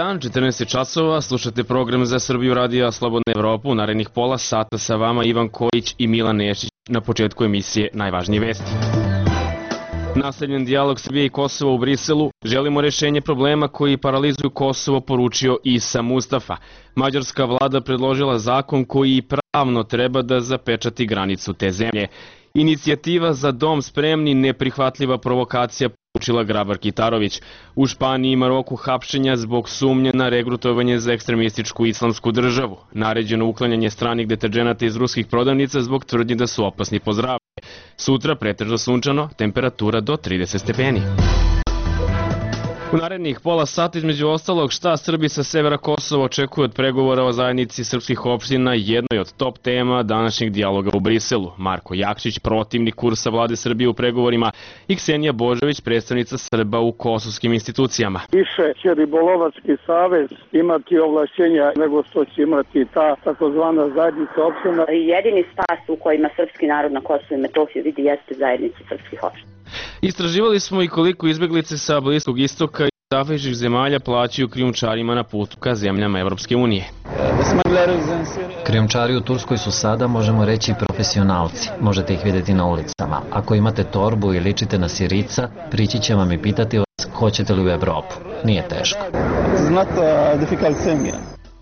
dan, 14 časova, slušate program za Srbiju radija Slobodna Evropa. U narednih pola sata sa vama Ivan Kojić i Milan Nešić. Na početku emisije najvažnije vesti. Nastavljen dijalog Srbije i Kosova u Briselu. Želimo rešenje problema koji paralizuju Kosovo, poručio Isa Mustafa. Mađarska vlada predložila zakon koji pravno treba da zapečati granicu te zemlje. Inicijativa za dom spremni, neprihvatljiva provokacija, poručila Grabar Kitarović. U Španiji i Maroku hapšenja zbog sumnje na regrutovanje za ekstremističku islamsku državu. Naređeno uklanjanje stranih deterđenata iz ruskih prodavnica zbog tvrdnje da su opasni po zdravlje. Sutra pretežno sunčano, temperatura do 30 stepeni. U narednih pola sata, između ostalog, šta Srbi sa severa Kosova očekuju od pregovora o zajednici srpskih opština, jednoj od top tema današnjeg dijaloga u Briselu. Marko Jakšić, protivnik kursa vlade Srbije u pregovorima, i Ksenija Božović, predstavnica Srba u kosovskim institucijama. Više će Ribolovački savez imati ovlašćenja nego što će imati ta takozvana zajednica opština. Jedini spas u kojima srpski narod na Kosovu i Metohiji vidi jeste zajednica srpskih opština. Istraživali smo i koliko izbeglice sa Bliskog istoka i zapadnih zemalja plaćaju krijumčarima na putu ka zemljama Evropske unije. Krijumčari u Turskoj su sada, možemo reći, profesionalci. Možete ih vidjeti na ulicama. Ako imate torbu i ličite na Sirica, prići će vam i pitati vas hoćete li u Evropu. Nije teško.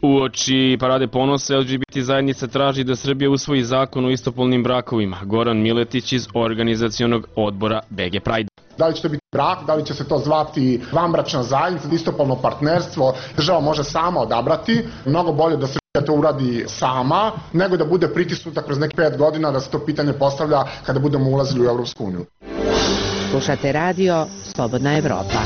Uoči parade ponosa LGBT zajednica traži da Srbija usvoji zakon o istopolnim brakovima. Goran Miletić iz organizacionog odbora BG Pride. Da li će to biti brak, da li će se to zvati vanbračna zajednica, istopolno partnerstvo, država može sama odabrati. Mnogo bolje da Srbija to uradi sama, nego da bude pritisnuta kroz nekih 5 godina da se to pitanje postavlja kada budemo ulazili u Evropsku uniju. Slušate radio Slobodna Evropa.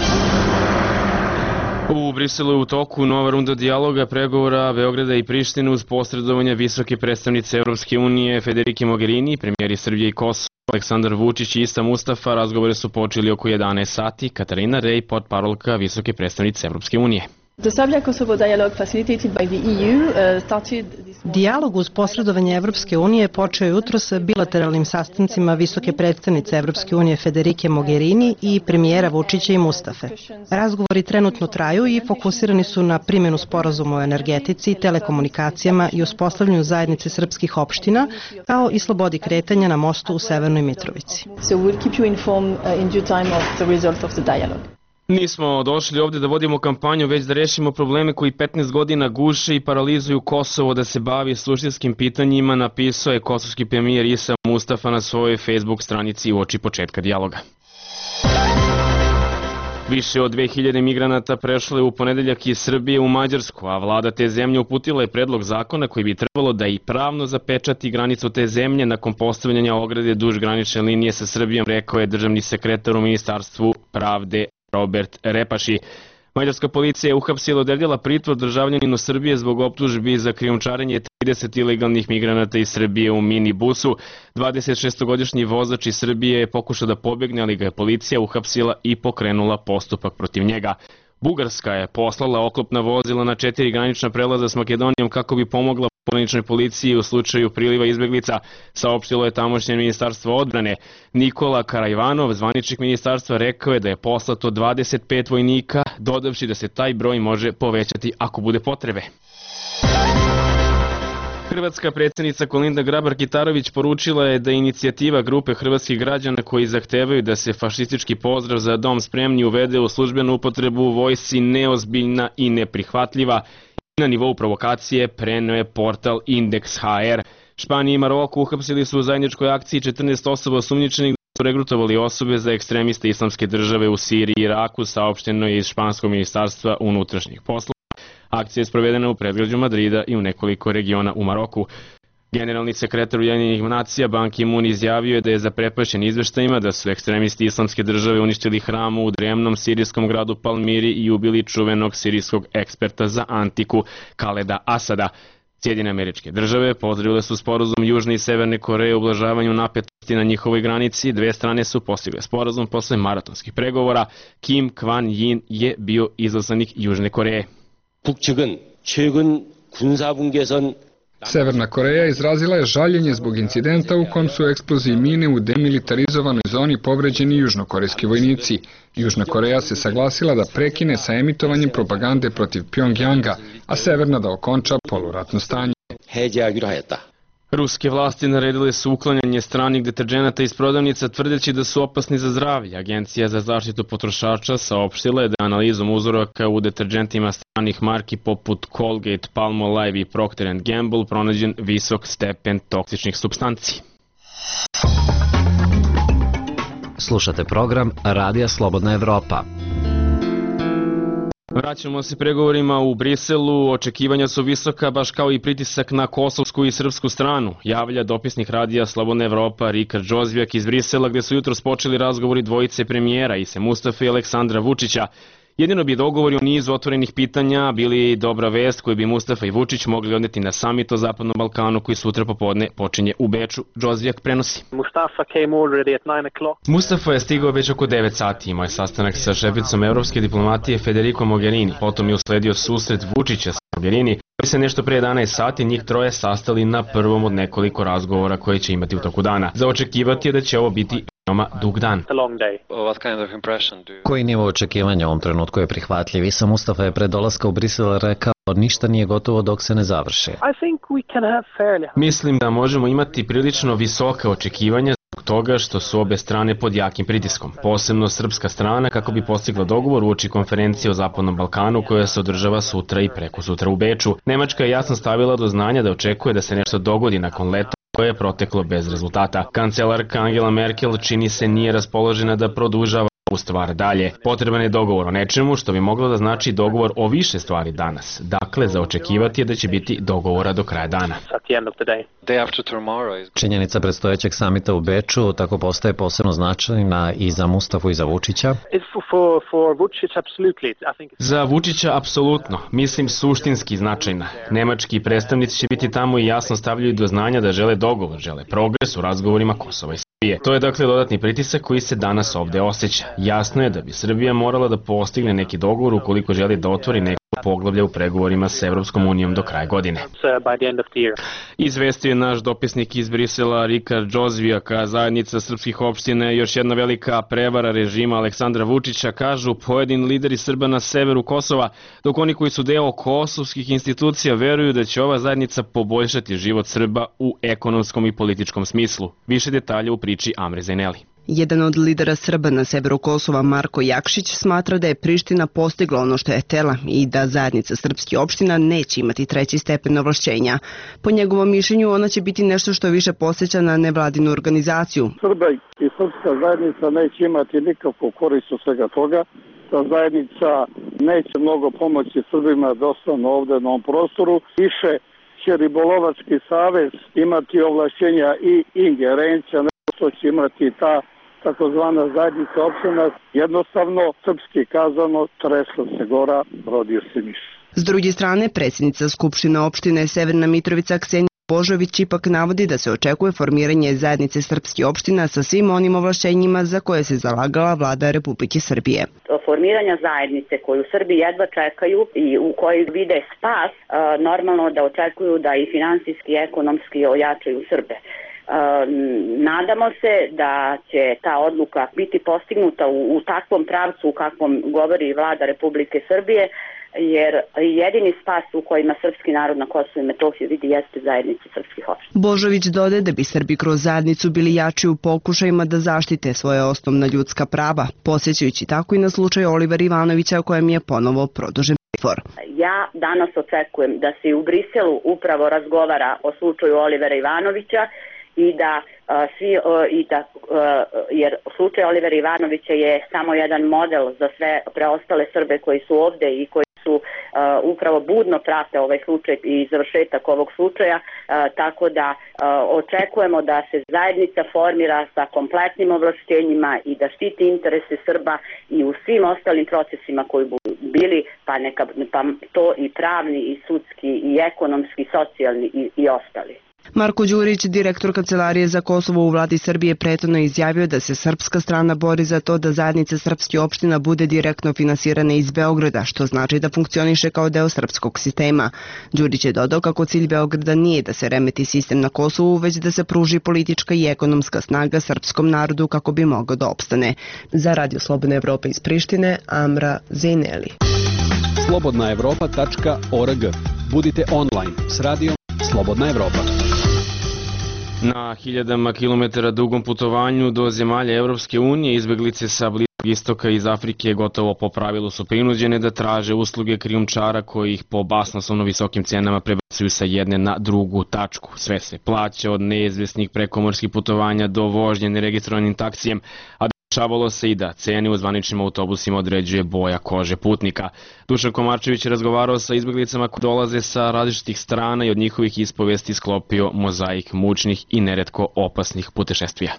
U Briselu je u toku nova runda dijaloga, pregovora Beograda i Prištine uz posredovanje visoke predstavnice Evropske unije Federike Mogherini, premijeri Srbije i Kosova Aleksandar Vučić i Isa Mustafa. Razgovore su počeli oko 11 sati. Katarina Rej, portparolka visoke predstavnice Evropske unije. Dijalog uz posredovanje Evropske unije počeo je jutros sa bilateralnim sastancima visoke predstavnice Evropske unije Federike Mogherini i premijera Vučića i Mustafe. Razgovori trenutno traju i fokusirani su na primjenu sporazuma o energetici, telekomunikacijama i uspostavljanju zajednice srpskih opština, kao i slobodi kretanja na mostu u Severnoj Mitrovici. Nismo došli ovde da vodimo kampanju, već da rešimo probleme koji 15 godina guše i paralizuju Kosovo da se bavi suštinskim pitanjima, napisao je kosovski premijer Isa Mustafa na svojoj Facebook stranici uoči početka dijaloga. Više od 2000 migranata prešlo je u ponedeljak iz Srbije u Mađarsku, a vlada te zemlje uputila je predlog zakona koji bi trebalo da i pravno zapečati granicu te zemlje nakon postavljanja ograde duž granične linije sa Srbijom, rekao je državni sekretar u Ministarstvu pravde Robert Repaši. Mađarska policija je uhapsila, odredila pritvor državljaninu Srbije zbog optužbi za krijumčarenje 30 ilegalnih migranata iz Srbije u minibusu. 26-godišnji vozač iz Srbije je pokušao da pobegne, ali ga je policija uhapsila i pokrenula postupak protiv njega. Bugarska je poslala oklopna vozila na 4 granična prelaza s Makedonijom kako bi pomogla pograničnoj policiji u slučaju priliva izbeglica, saopštilo je tamošnje ministarstvo odbrane. Nikola Karajvanov, zvaničnik ministarstva, rekao je da je poslato 25 vojnika, dodavši da se taj broj može povećati ako bude potrebe. Hrvatska predsjednica Kolinda Grabar-Kitarović poručila je da inicijativa grupe hrvatskih građana koji zahtevaju da se fašistički pozdrav za dom spremni uvede u službenu upotrebu u vojsci neozbiljna i neprihvatljiva. Na nivou provokacije preneo je portal Indeks.hr. Španija i Maroko uhapsili su u zajedničkoj akciji 14 osoba osumnjičenih da su regrutovali osobe za ekstremiste islamske države u Siriji i Iraku, saopšteno je iz Španskog ministarstva unutrašnjih poslova. Akcija je sprovedena u predgrađu Madrida i u nekoliko regiona u Maroku. Generalni sekretar Ujedinjenih nacija Ban Ki-moon izjavio je da je zaprepašćen izveštajima da su ekstremisti islamske države uništili hram u drevnom sirijskom gradu Palmiri i ubili čuvenog sirijskog eksperta za antiku Kaleda Asada. Sjedinjene Američke Države pozdravile su sporazum Južne i Severne Koreje u ublažavanju napetosti na njihovoj granici. Dve strane su postigle sporazum posle maratonskih pregovora. Kim Kwan-yin je bio izaslanik Južne Koreje. 북측은 최근 군사분 개선 Severna Koreja izrazila je žaljenje zbog incidenta u kom su eksploziji mine u demilitarizovanoj zoni povređeni južnokorejski vojnici. Južna Koreja se saglasila da prekine sa emitovanjem propagande protiv Pjongjanga, a Severna da okonča poluratno stanje. Ruske vlasti naredile su uklanjanje stranih deterđenata iz prodavnica tvrdeći da su opasni za zdravlje. Agencija za zaštitu potrošača saopštila je da analizom uzoraka u deterđentima stranih marki poput Colgate, Palmolive i Procter & Gamble pronađen visok stepen toksičnih supstanci. Slušate program Radija Slobodna Evropa. Vraćamo se pregovorima u Briselu, očekivanja su visoka, baš kao i pritisak na kosovsku i srpsku stranu, javlja dopisnik Radija Slobodna Evropa Rikard Džozvijak iz Brisela, gde su jutros počeli razgovori dvojice premijera Ise Mustafe i Aleksandra Vučića. Jedino bi dogovori o nizu otvorenih pitanja bili dobra vest koju bi Mustafa i Vučić mogli odneti na samit o Zapadnom Balkanu koji sutra popodne počinje u Beču. Džozvijak prenosi. Mustafa je stigao već oko 9 sati, imao je sastanak sa šeficom evropske diplomatije Federico Mogherini, potom je usledio susret Vučića sa Mogherini, koji se nešto pre 11 sati njih troje sastali na prvom od nekoliko razgovora koje će imati u toku dana. Za očekivati je da će ovo biti dug dan. Koji nivo očekivanja u ovom trenutku je prihvatljiv? Ise Mustafa je pre dolaska u Brisel rekao ništa nije gotovo dok se ne završi. Mislim da možemo imati prilično visoka očekivanja zbog toga što su obe strane pod jakim pritiskom. Posebno srpska strana kako bi postigla dogovor uoči konferencije o Zapadnom Balkanu koja se održava sutra i preko sutra u Beču. Nemačka je jasno stavila do znanja da očekuje da se nešto dogodi nakon leta koje je proteklo bez rezultata. Kancelarka Angela Merkel čini se nije raspoložena da produžava ovu stvar dalje. Potreban je dogovor o nečemu što bi moglo da znači dogovor o više stvari danas. Dakle, za očekivati je da će biti dogovora do kraja dana. Činjenica predstojećeg samita u Beču tako postaje posebno značajna i za Mustafu i za Vučića? Za Vučića apsolutno, mislim suštinski značajna. Nemački predstavnici će biti tamo i jasno stavljaju do znanja da žele dogovor, žele progres u razgovorima Kosova i Srbije. To je dakle dodatni pritisak koji se danas ovde osjeća. Jasno je da bi Srbija morala da postigne neki dogovor ukoliko želi da otvori neko poglavlje u pregovorima s Evropskom unijom do kraja godine. Izvestio je naš dopisnik iz Brisela Rikard Džozvijak, a zajednica srpskih opština je još jedna velika prevara režima Aleksandra Vučića, kažu pojedini lideri Srba na severu Kosova, dok oni koji su deo kosovskih institucija veruju da će ova zajednica poboljšati život Srba u ekonomskom i političkom smislu. Više detalja u priči Amre Zajneli. Jedan od lidera Srba na severu Kosova, Marko Jakšić, smatra da je Priština postigla ono što je htela i da zajednica srpskih opština neće imati treći stepen ovlašćenja. Po njegovom mišljenju, ona će biti nešto što više podsjeća na nevladinu organizaciju. Srba i srpska zajednica neće imati nikakvu korist od svega toga. Ta zajednica neće mnogo pomoći Srbima da ostanu ovde na ovom prostoru. Više će Ribolovački savez imati ovlašćenja i ingerencija nego što će imati ta takozvana zajednica opština. Jednostavno, srpski kazano, tresla se gora, rodio se miš. S druge strane, predsjednica Skupštine opštine Severna Mitrovica Ksenija Božović ipak navodi da se očekuje formiranje zajednice srpskih opština sa svim onim ovlašćenjima za koje se zalagala vlada Republike Srbije. Formiranja zajednice koju Srbi jedva čekaju i u kojoj vide spas, normalno da očekuju da i finansijski i ekonomski ojačaju Srbe. Nadamo se da će ta odluka biti postignuta u takvom pravcu u kakvom govori vlada Republike Srbije, jer jedini spas u kojima srpski narod na Kosovu i Metohiji vidi jeste zajednica srpskih opština. Božović dodaje da bi Srbi kroz zajednicu bili jači u pokušajima da zaštite svoje osnovna ljudska prava, posjećajući tako i na slučaj Olivera Ivanovića kojem je ponovo produžen pritvor. Ja danas očekujem da se u Briselu upravo razgovara o slučaju Olivera Ivanovića i da jer slučaj Olivera Ivanovića je samo jedan model za sve preostale Srbe koji su ovde i koji su upravo budno prate ovaj slučaj i završetak ovog slučaja, tako da očekujemo da se zajednica formira sa kompletnim ovlašćenjima i da štiti interese Srba i u svim ostalim procesima koji budu bili, pa to i pravni i sudski i ekonomski, socijalni i ostali. Marko Đurić, direktor Kancelarije za Kosovo u vladi Srbije, prethodno izjavio da se srpska strana bori za to da zajednica srpskih opština bude direktno finansirana iz Beograda, što znači da funkcioniše kao deo srpskog sistema. Đurić je dodao kako cilj Beograda nije da se remeti sistem na Kosovu, već da se pruži politička i ekonomska snaga srpskom narodu kako bi mogao da opstane. Za Radio Slobodna Evropa iz Prištine, Amra Zejneli. slobodnaevropa.org. Budite online s radijom Slobodna Evropa. Na hiljadama kilometara dugom putovanju do zemalja Evropske unije izbeglice sa Bliskog istoka iz Afrike gotovo po pravilu su prinuđene da traže usluge krijumčara koji ih po basnoslovno visokim cenama prebacuju sa jedne na drugu tačku. Sve se plaća od neizvesnih prekomorskih putovanja do vožnje neregistrovanim taksijem, a dešavalo se i da cene u zvaničnim autobusima određuje boja kože putnika. Dušan Komarčević je razgovarao sa izbeglicama koji dolaze sa različitih strana i od njihovih ispovesti sklopio mozaik mučnih i neretko opasnih putešestvija.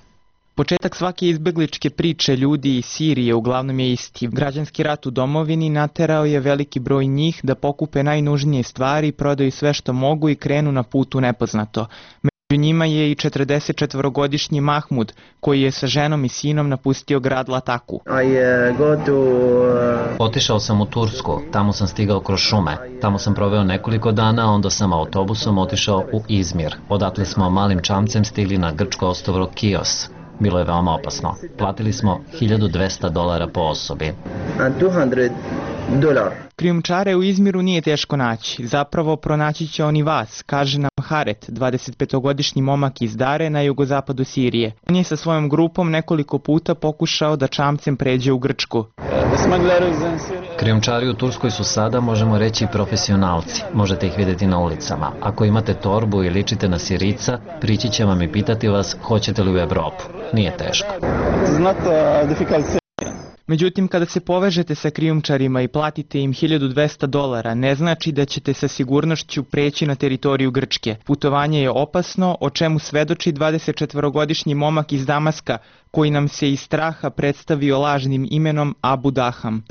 Početak svake izbegličke priče ljudi iz Sirije uglavnom je isti. Građanski rat u domovini naterao je veliki broj njih da pokupe najnužnije stvari, prodaju sve što mogu i krenu na put u nepoznato. Među njima je i 44-godišnji Mahmud, koji je sa ženom i sinom napustio grad Lataku. Otišao sam u Tursku, tamo sam stigao kroz šume. Tamo sam proveo nekoliko dana, onda sam autobusom otišao u Izmir. Odatle smo malim čamcem stigli na grčko ostrvo Kios. Bilo je veoma opasno. Platili smo $1.200 po osobi. Krijumčare u Izmiru nije teško naći. Zapravo pronaći će oni vas, kaže nam Haret, 25-godišnji momak iz Dare na jugozapadu Sirije. On je sa svojom grupom nekoliko puta pokušao da čamcem pređe u Grčku. Krijumčari u Turskoj su sada, možemo reći, profesionalci. Možete ih vidjeti na ulicama. Ako imate torbu i ličite na Sirica, prići će vam i pitati vas hoćete li u Evropu. Nije teško. Međutim, kada se povežete sa krijumčarima i platite im $1.200, ne znači da ćete sa sigurnošću preći na teritoriju Grčke. Putovanje je opasno, o čemu svedoči 24-godišnji momak iz Damaska, koji nam se iz straha predstavio lažnim imenom Abu Daham.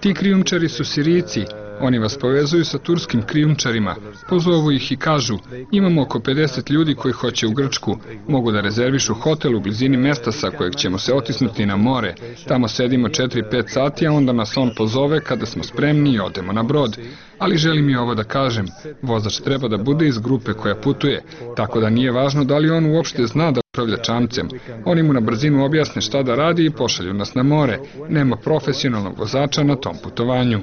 Ti krijumčari su Sirijci. Oni vas povezuju sa turskim krijumčarima. Pozovu ih i kažu, imamo oko 50 ljudi koji hoće u Grčku. Mogu da rezervišu hotel u blizini mesta sa kojeg ćemo se otisnuti na more. Tamo sedimo 4-5 sati, a onda nas on pozove kada smo spremni i odemo na brod. Ali želim i ovo da kažem, vozač treba da bude iz grupe koja putuje, tako da nije važno da li on uopšte zna da upravlja čamcem. Oni mu na brzinu objasne šta da radi i pošalju nas na more. Nema profesionalnog vozača na tom putovanju.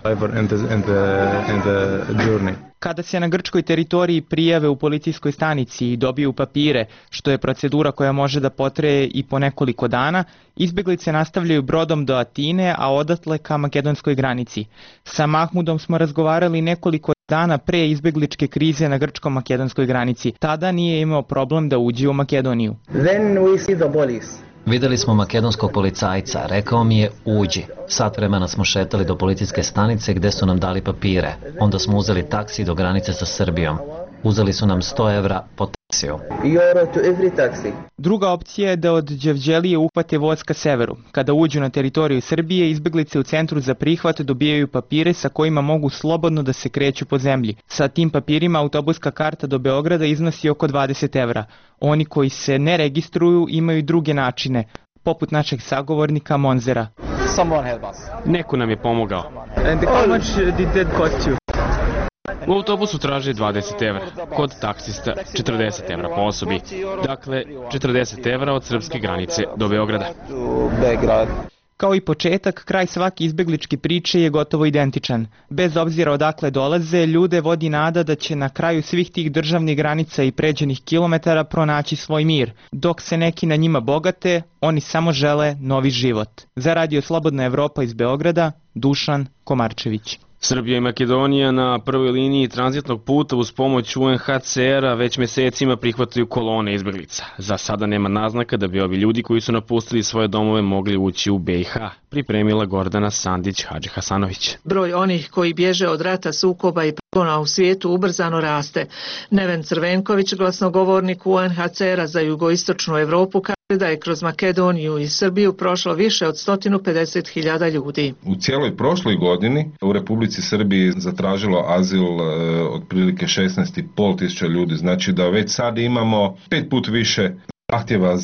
Kada se na grčkoj teritoriji prijave u policijskoj stanici i dobiju papire, što je procedura koja može da potraje i po nekoliko dana, izbeglice nastavljaju brodom do Atine, a odatle ka makedonskoj granici. Sa Mahmudom smo razgovarali nekoliko dana pre izbegličke krize na grčko-makedonskoj granici. Tada nije imao problem da uđe u Makedoniju. Videli smo makedonskog policajca, rekao mi je uđi. Sat vremena smo šetali do policijske stanice gde su nam dali papire. Onda smo uzeli taksi do granice sa Srbijom. Uzeli su nam €100 po taksiju. Druga opcija je da od Đevđelije uhvate voz ka severu. Kada uđu na teritoriju Srbije, izbeglice u centru za prihvat dobijaju papire sa kojima mogu slobodno da se kreću po zemlji. Sa tim papirima autobuska karta do Beograda iznosi oko €20. Oni koji se ne registruju imaju druge načine, poput našeg sagovornika Monzera. Neko nam je pomogao. U autobusu traže €20, kod taksista €40 po osobi. Dakle, €40 od srpske granice do Beograda. Kao i početak, kraj svake izbegličke priče je gotovo identičan. Bez obzira odakle dolaze, ljude vodi nada da će na kraju svih tih državnih granica i pređenih kilometara pronaći svoj mir. Dok se neki na njima bogate, oni samo žele novi život. Za Radio Slobodna Evropa iz Beograda, Dušan Komarčević. Srbija i Makedonija na prvoj liniji tranzitnog puta uz pomoć UNHCR-a već mesecima prihvataju kolone izbeglica. Za sada nema naznaka da bi ovi ljudi koji su napustili svoje domove mogli ući u BiH, pripremila Gordana Sandić-Hadži Hasanović. Broj onih koji bježe od rata, sukoba i progona u svijetu ubrzano raste. Neven Crvenković, glasnogovornik UNHCR-a za jugoistočnu Evropu, kaže da je kroz Makedoniju i Srbiju prošlo više od 150.000 ljudi. U cijeloj prošloj godini u Republici Srbiji zatražilo azil otprilike 16.500 ljudi, znači da već sad imamo 5 puta više zahtjeva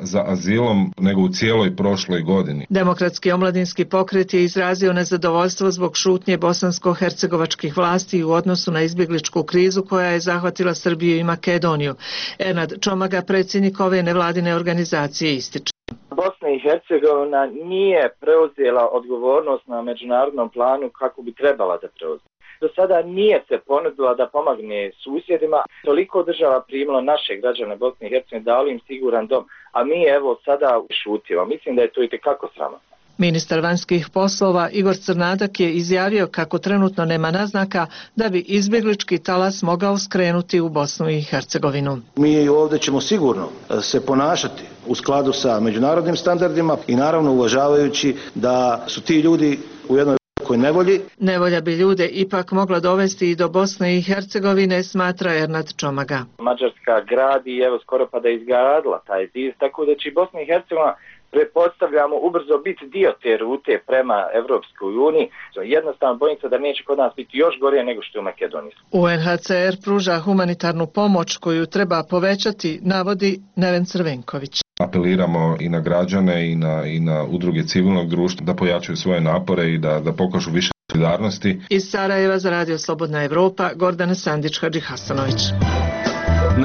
za azilom nego u cijeloj prošloj godini. Demokratski omladinski pokret je izrazio nezadovoljstvo zbog šutnje bosansko-hercegovačkih vlasti u odnosu na izbjegličku krizu koja je zahvatila Srbiju i Makedoniju. Ernad Čomaga, predsjednik ove nevladine organizacije, ističe. Bosna i Hercegovina nije preuzela odgovornost na međunarodnom planu kako bi trebala da preuzme. Do sada nije se ponudila da pomogne susjedima, toliko država primilo naše građane Bosne i Hercegovine, dali im siguran dom, a mi evo sada šutimo. Mislim da je to itekako sramotno. Ministar vanjskih poslova Igor Crnadak je izjavio kako trenutno nema naznaka da bi izbjeglički talas mogao skrenuti u Bosnu i Hercegovinu. Mi ovdje ćemo sigurno se ponašati u skladu sa međunarodnim standardima i naravno uvažavajući da su ti ljudi u jednoj nevolji. Nevolja bi ljude ipak mogla dovesti i do Bosne i Hercegovine, smatra Ernad Čomaga. Mađarska gradi, evo skoro pa da je izgradila taj zid, tako da će Bosna i Hercegovina, pretpostavljamo, ubrzo biti dio te rute prema Evropskoj uniji. Jednostavno bojim se da neće kod nas biti još gorije nego što je u Makedoniji. UNHCR pruža humanitarnu pomoć koju treba povećati, navodi Neven Crvenković. Apeliramo i na građane i na udruge civilnog društva da pojačaju svoje napore i da pokažu više solidarnosti. Iz Sarajeva za Radio Slobodna Evropa, Gordana Sandić-Hadži Hasanović.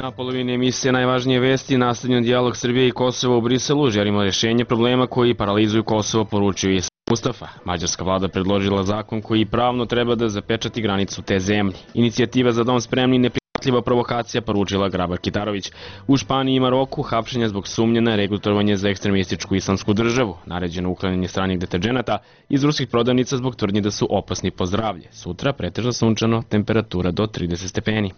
Na polovini emisije Najvažnije vesti, nastavljen dijalog Srbije i Kosova u Briselu, želimo rješenje problema koji paralizuju Kosovo, poručio je Mustafa. Mađarska vlada predložila zakon koji pravno treba da zapečati granicu te zemlje. Inicijativa za dom spremni neprihvatljiva provokacija, poručila Grabar Kitarović. U Španiji i Maroku hapšenja zbog sumnje na regrutovanje za ekstremističku islamsku državu, naređeno uklanjanje stranih deterđenata iz ruskih prodavnica zbog tvrdnje da su opasni po zdravlje. Sutra pretežno sunčano, temperatura do 30 stepeni.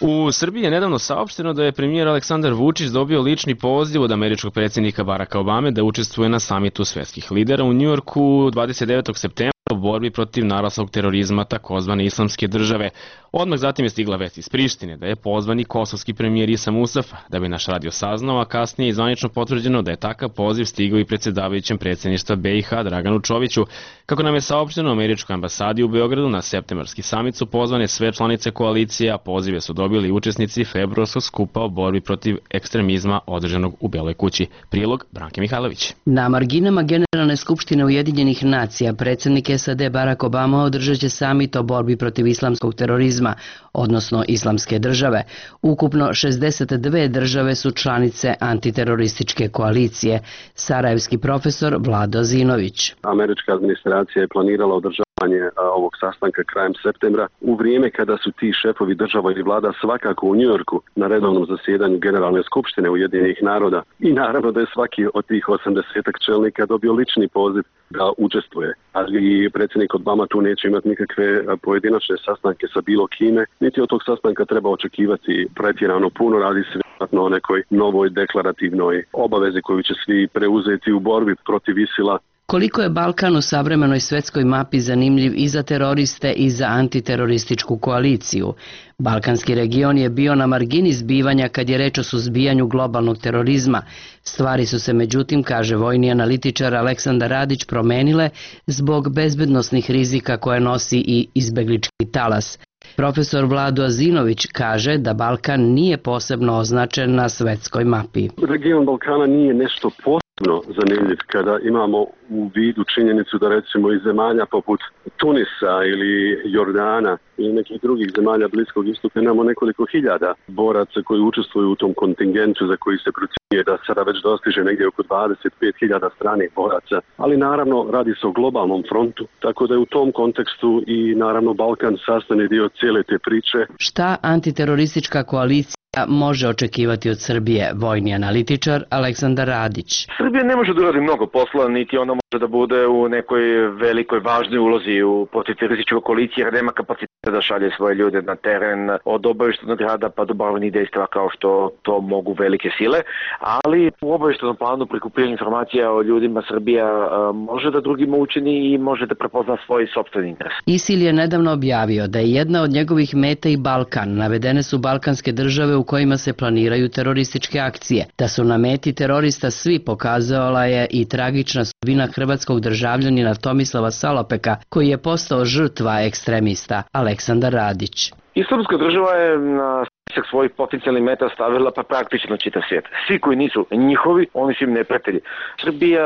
U Srbiji je nedavno saopšteno da je premijer Aleksandar Vučić dobio lični poziv od američkog predsjednika Baracka Obame da učestvuje na samitu svetskih lidera u Njujorku 29. septembra u borbi protiv naraslog terorizma takozvane islamske države. Odmah zatim je stigla vest iz Prištine da je pozvan i kosovski premijer Isa Mustafa, da bi naš radio saznao, a kasnije je zvanično potvrđeno da je takav poziv stigao i predsjedavajućem predsjedništva BiH Draganu Čoviću. Kako nam je saopšteno u američkoj ambasadi u Beogradu, na septembarski samit su pozvane sve članice koalicije, a pozive su dobili učesnici februarskog skupa o borbi protiv ekstremizma održanog u Beloj kući. Prilog Branke Mihajlović. Na marginama Generalne skupštine Ujedinjenih nacija predsjednik SAD Barack Obama održat će samit o borbi protiv islamskog terorizma, odnosno islamske države. Ukupno 62 države su članice antiterorističke koalicije. Sarajevski profesor Vlado Zinović. Američka administracija je planirala održavanje ovog sastanka krajem septembra u vrijeme kada su ti šefovi država i vlada svakako u Njujorku na redovnom zasjedanju Generalne skupštine Ujedinjenih naroda. I naravno da je svaki od tih 80 čelnika dobio lični poziv da učestvuje. Ali predsjednik Obama tu neće imati nikakve pojedinačne sastanke sa bilo kime, niti od tog sastanka treba očekivati pretjerano puno, radi se vjerojatno o nekoj novoj deklarativnoj obavezi koju će svi preuzeti u borbi protiv ISIL-a. Koliko je Balkan u savremenoj svetskoj mapi zanimljiv i za teroriste i za antiterorističku koaliciju. Balkanski region je bio na margini zbivanja kad je reč o suzbijanju globalnog terorizma. Stvari su se međutim, kaže vojni analitičar Aleksandar Radić, promenile zbog bezbednosnih rizika koje nosi i izbeglički talas. Profesor Vlado Azinović kaže da Balkan nije posebno označen na svetskoj mapi. Region Balkana nije nešto posebno zanimljiv kada imamo u vidu činjenicu da recimo iz zemalja poput Tunisa ili Jordana i nekih drugih zemalja Bliskog istoka imamo nekoliko hiljada boraca koji učestvuju u tom kontingentu za koji se procjenjuje da sada već dostiže negdje oko 25.000 stranih boraca. Ali naravno radi se o globalnom frontu, tako da je u tom kontekstu i naravno Balkan sastavni dio cijele te priče. Šta antiteroristička koalicija može očekivati od Srbije, vojni analitičar Aleksandar Radić? Srbija ne može da uradi mnogo posla, niti ona može da bude u nekoj velikoj važnoj ulozi u protiterorističkoj koaliciji, jer nema kapaciteta da šalje svoje ljude na teren od obavještajnog rada pa do borbenih dejstva kao što to mogu velike sile, ali u obavještajnom planu prikupljanja informacija o ljudima Srbija može da drugima učini i može da prepozna svoj sopstveni interes. ISIL je nedavno objavio da je jedna od njegovih meta i Balkan. Navedene su balkanske države u kojima se planiraju terorističke akcije. Da su na meti terorista svi pokazala je i tragična sudbina hrvatskog državljanina Tomislava Salopeka, koji je postao žrtva ekstremista. Aleksandar Radić. Islamska država je na spisak svojih potencijalnih meta stavila pa praktično čitav svijet. Svi koji nisu njihovi, oni su im neprijatelji. Srbija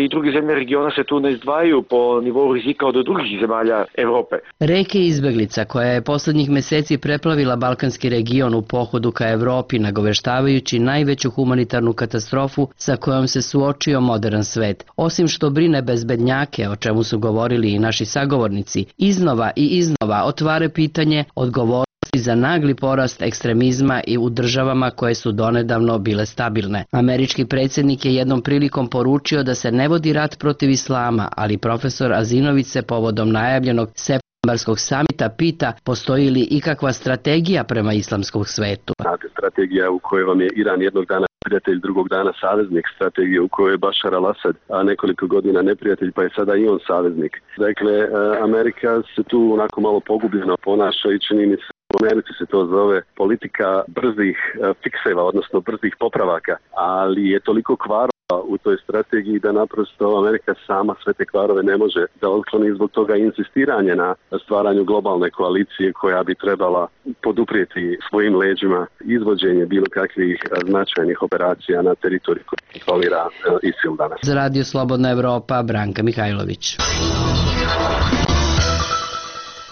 i druge zemlje regiona se tu ne izdvajaju po nivou rizika od drugih zemalja Evrope. Reke izbeglica koja je poslednjih meseci preplavila balkanski region u pohodu ka Evropi, nagoveštavajući najveću humanitarnu katastrofu sa kojom se suočio modern svet. Osim što brine bezbednjake, o čemu su govorili i naši sagovornici, iznova i iznova otvara pitanje odgovornosti za nagli porast ekstremizma i u državama koje su donedavno bile stabilne. Američki predsjednik je jednom prilikom poručio da se ne vodi rat protiv islama, ali profesor Azinović se povodom najavljenog septembarskog samita pita postoji li ikakva strategija prema islamskom svetu. Znate, strategija u kojoj vam je Iran jednog dana prijatelj, drugog dana saveznik, strategije u kojoj je Bašar al-Assad, a nekoliko godina neprijatelj, pa je sada i on saveznik. Dakle, Amerika se tu onako malo pogubljeno ponaša i čini mi se, u Americi se to zove politika brzih fikseva, odnosno brzih popravaka, ali je toliko kvarova u toj strategiji da naprosto Amerika sama sve te kvarove ne može da otkloni, zbog toga insistiranje na stvaranju globalne koalicije koja bi trebala poduprijeti svojim leđima izvođenje bilo kakvih značajnih operacija na teritoriju koju kontrolira ISIL danas. Za Radio Slobodna Evropa, Branka Mihajlović.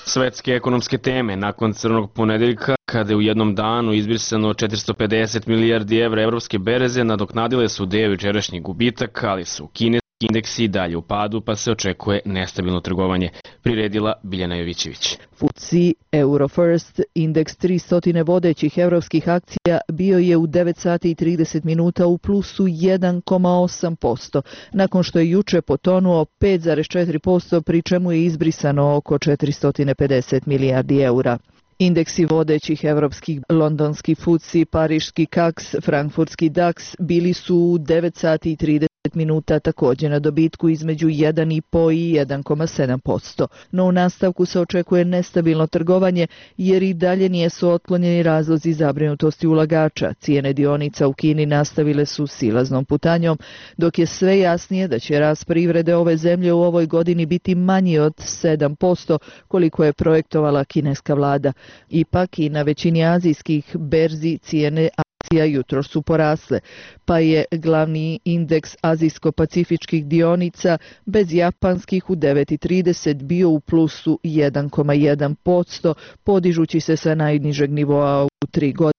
Svetske ekonomske teme nakon crnog ponedeljka, kada je u jednom danu izbrisano 450 milijardi evra evropske bereze, nadoknadile su deo jučerašnjih gubitaka, ali su kineski indeksi dalje u padu, pa se očekuje nestabilno trgovanje, priredila Biljana Jovićević. FTSE Eurofirst, indeks 300 vodećih evropskih akcija, bio je u 9 sati i 30 minuta u plusu 1,8%, nakon što je juče potonuo 5,4%, pri čemu je izbrisano oko 450 milijardi eura. Indeksi vodećih evropskih, londonski FTSE, pariški CAC, frankfurtski DAX bili su u 9 sati i 30 minuta također na dobitku između 1,5 i 1,7%. No u nastavku se očekuje nestabilno trgovanje jer i dalje nisu otklonjeni razlozi zabrinutosti ulagača. Cijene dionica u Kini nastavile su silaznom putanjom, dok je sve jasnije da će rast privrede ove zemlje u ovoj godini biti manji od 7%, koliko je projektovala kineska vlada. Ipak i na većini azijskih berzi cijene akcija jutros su porasle, pa je glavni indeks azijsko-pacifičkih dionica bez japanskih u 9,30 bio u plusu 1,1%, podižući se sa najnižeg nivoa u 3 godine.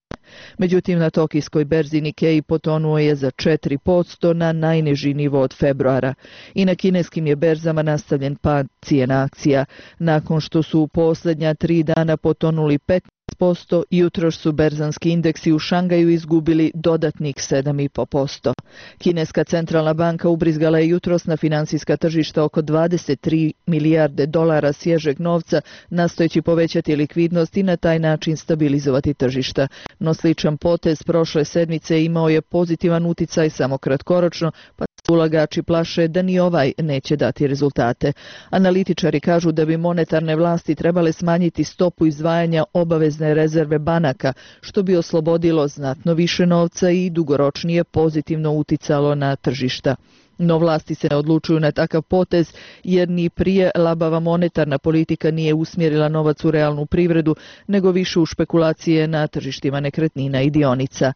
Međutim, na tokijskoj berzi Nikkei potonuo je za 4% na najniži nivo od februara. I na kineskim je berzama nastavljen pad cijena akcija. Nakon što su u posljednja 3 dana potonuli 15%, jutros su berzanski indeksi u Šangaju izgubili dodatnih 7,5%. Kineska centralna banka ubrizgala je jutros na financijska tržišta oko 23 milijarde dolara svježeg novca, nastojeći povećati likvidnost i na taj način stabilizovati tržišta. No sličan potez prošle sedmice imao je pozitivan uticaj samo kratkoročno, pa ulagači plaše da ni ovaj neće dati rezultate. Analitičari kažu da bi monetarne vlasti trebale smanjiti stopu izdvajanja obavezne rezerve banaka, što bi oslobodilo znatno više novca i dugoročnije pozitivno uticalo na tržišta. No vlasti se ne odlučuju na takav potez jer ni prije labava monetarna politika nije usmjerila novac u realnu privredu, nego više u špekulacije na tržištima nekretnina i dionica.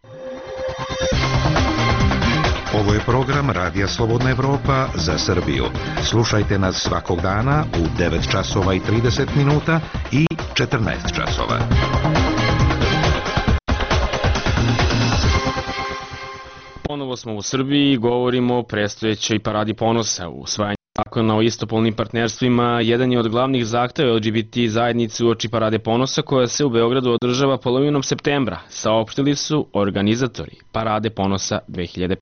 Ovo je program Radija Slobodna Evropa za Srbiju. Slušajte nas svakog dana u 9 časova i 30 minuta i 14 časova. Ponovo smo u Srbiji i govorimo o predstojećoj paradi ponosa. Usvajanje zakona o istopolnim partnerstvima jedan je od glavnih zahteva LGBT zajednice uoči parade ponosa koja se u Beogradu održava polovinom septembra, saopštili su organizatori parade ponosa 2015.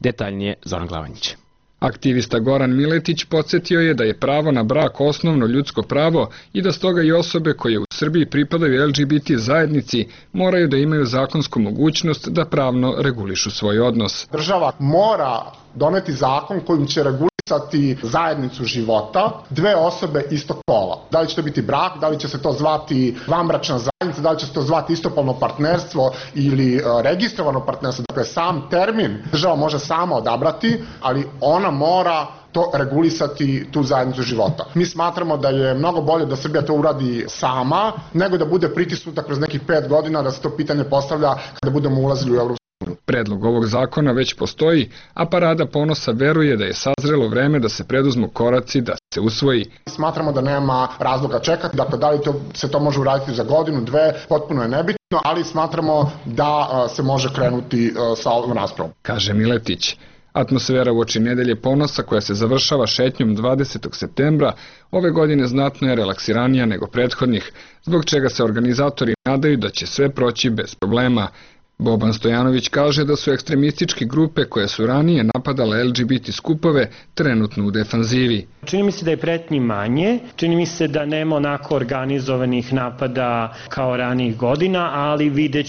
Detaljnije Zoran Glavanjić. Aktivista Goran Miletić podsjetio je da je pravo na brak osnovno ljudsko pravo i da stoga i osobe koje u Srbiji pripadaju LGBT zajednici moraju da imaju zakonsku mogućnost da pravno regulišu svoj odnos. Država mora doneti zakon kojim će regulisati regulisati zajednicu života dve osobe istog pola. Da li će to biti brak, da li će se to zvati vanbračna zajednica, da li će se to zvati istopolno partnerstvo ili registrovano partnerstvo. Dakle, sam termin država može sama odabrati, ali ona mora to regulisati, tu zajednicu života. Mi smatramo da je mnogo bolje da Srbija to uradi sama, nego da bude pritisnuta kroz nekih 5 godina, da se to pitanje postavlja kada budemo ulazili u Evropsku uniju. Predlog ovog zakona već postoji, a Parada ponosa veruje da je sazrelo vreme da se preduzmu koraci da se usvoji. Smatramo da nema razloga čekati, dakle da li se to može uraditi za godinu, dve, potpuno je nebitno, ali smatramo da se može krenuti sa ovom raspravom. Kaže Miletić. Atmosfera uoči Nedelje ponosa, koja se završava šetnjom 20. septembra, ove godine znatno je relaksiranija nego prethodnih, zbog čega se organizatori nadaju da će sve proći bez problema. Boban Stojanović kaže da su ekstremističke grupe koje su ranije napadale LGBT skupove trenutno u defanzivi. Čini mi se da je pretnji manje, čini mi se da nema onako organizovanih napada kao ranijih godina, ali vidjet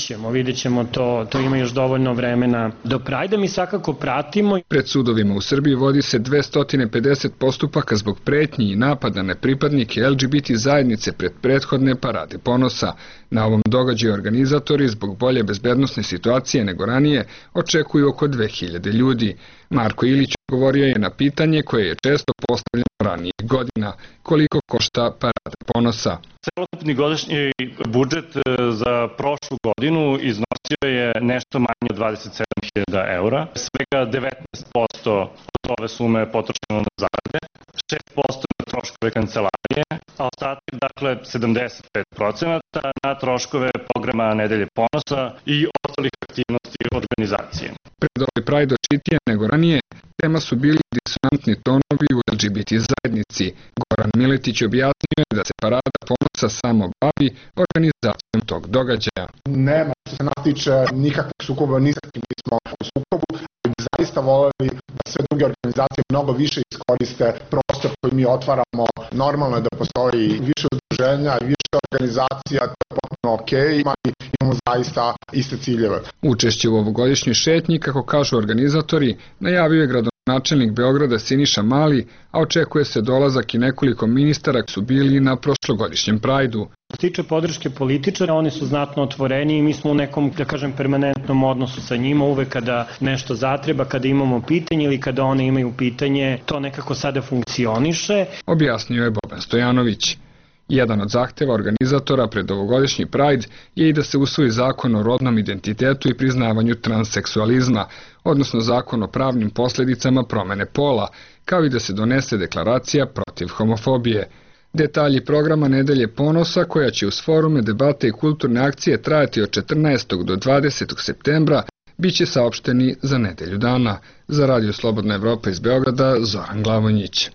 ćemo to ima još dovoljno vremena do Prajda, mi svakako pratimo. Pred sudovima u Srbiji vodi se 250 postupaka zbog pretnji i napada na pripadnike LGBT zajednice pred prethodne Parade ponosa. Na ovom događaju organizatori zbog bolje bezbednosne situacije nego ranije očekuju oko 2000 ljudi. Marko Ilić govorio je na pitanje koje je često postavljeno ranijih godina. Koliko košta Parada ponosa? Celokupni godišnji budžet za prošlu godinu iznosio je nešto manje od 27.000 eura. Svega 19% od ove sume je potrošeno na zarade, 6% na troškove kancelarije, a ostatak, dakle 75% na troškove programa Nedelje ponosa i ostalih aktivnosti organizacije. Pred ovaj Pride očitije nego ranije, tema su bili disonantni tonovi u LGBT zajednici. Goran Miletić objasnio je da se Parada ponosa samo bavi organizacijom tog događaja. Nema što se nas tiče nikakvog sukoba, ni sa kim nismo u sukobu, ali bi zaista voljeli da sve druge organizacije mnogo više iskoriste prostor koji mi otvaramo. Normalno je da postoji više udruženja i više organizacija, to je potpuno okej, imamo zaista iste ciljeve. Učešće u ovogodišnjoj šetnji, kako kažu organizatori, najavio je gradonačelnik Beograda Siniša Mali, a očekuje se dolazak i nekoliko ministara koji su bili na prošlogodišnjem Prajdu. Što se tiče podrške političara, oni su znatno otvoreni i mi smo u nekom, da kažem, permanentnom odnosu sa njima. Uvek kada nešto zatreba, kada imamo pitanje ili kada one imaju pitanje, to nekako sada funkcioniše. Objasnio je Boban Stojanović. Jedan od zahteva organizatora pred ovogodišnji Pride je i da se usvoji zakon o rodnom identitetu i priznavanju transseksualizma, odnosno zakon o pravnim posljedicama promene pola, kao i da se donese deklaracija protiv homofobije. Detalji programa Nedelje ponosa, koja će uz forume, debate i kulturne akcije trajati od 14. do 20. septembra, bit će saopšteni za nedelju dana. Za Radio Slobodna Evropa iz Beograda, Zoran Glavonjić.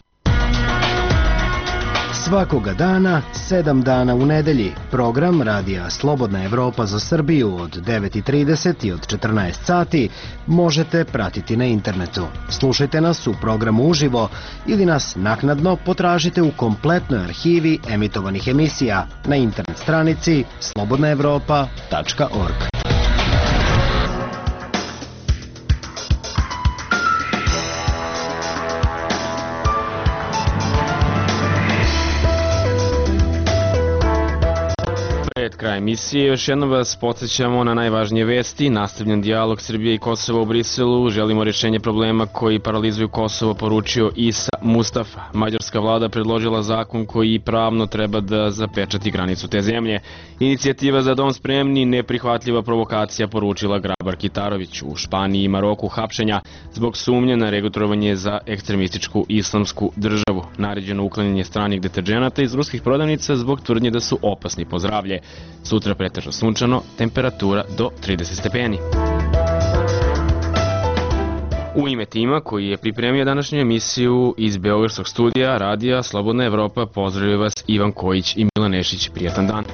Svakoga dana, 7 dana u nedelji, program Radija Slobodna Evropa za Srbiju od 9:30 i od 14 sati možete pratiti na internetu. Slušajte nas u programu uživo ili nas naknadno potražite u kompletnoj arhivi emitovanih emisija na internet stranici slobodnaevropa.org. Pred kraj emisije još jednom vas podsjećamo na najvažnije vesti. Nastavljen dijalog Srbije i Kosova u Briselu. Želimo rješenje problema koji paralizuju Kosovo, poručio Isa Mustafa. Mađarska vlada predložila zakon koji pravno treba da zapečati granicu te zemlje. Inicijativa Za dom spremni, neprihvatljiva provokacija, poručila Grabar Kitarović. U Španiji i Maroku hapšenja zbog sumnje na registrovanje za ekstremističku islamsku državu. Naređeno uklanjanje stranih deterđenata iz ruskih prodavnica zbog tvrdnje da su opasni po zdravlje. Sutra pretežno sunčano, temperatura do 30 stepeni. U ime tima koji je pripremio današnju emisiju iz Beogradskog studija Radija Slobodna Evropa, pozdravljaju vas Ivan Kojić i Milan Nešić. Prijatan dan.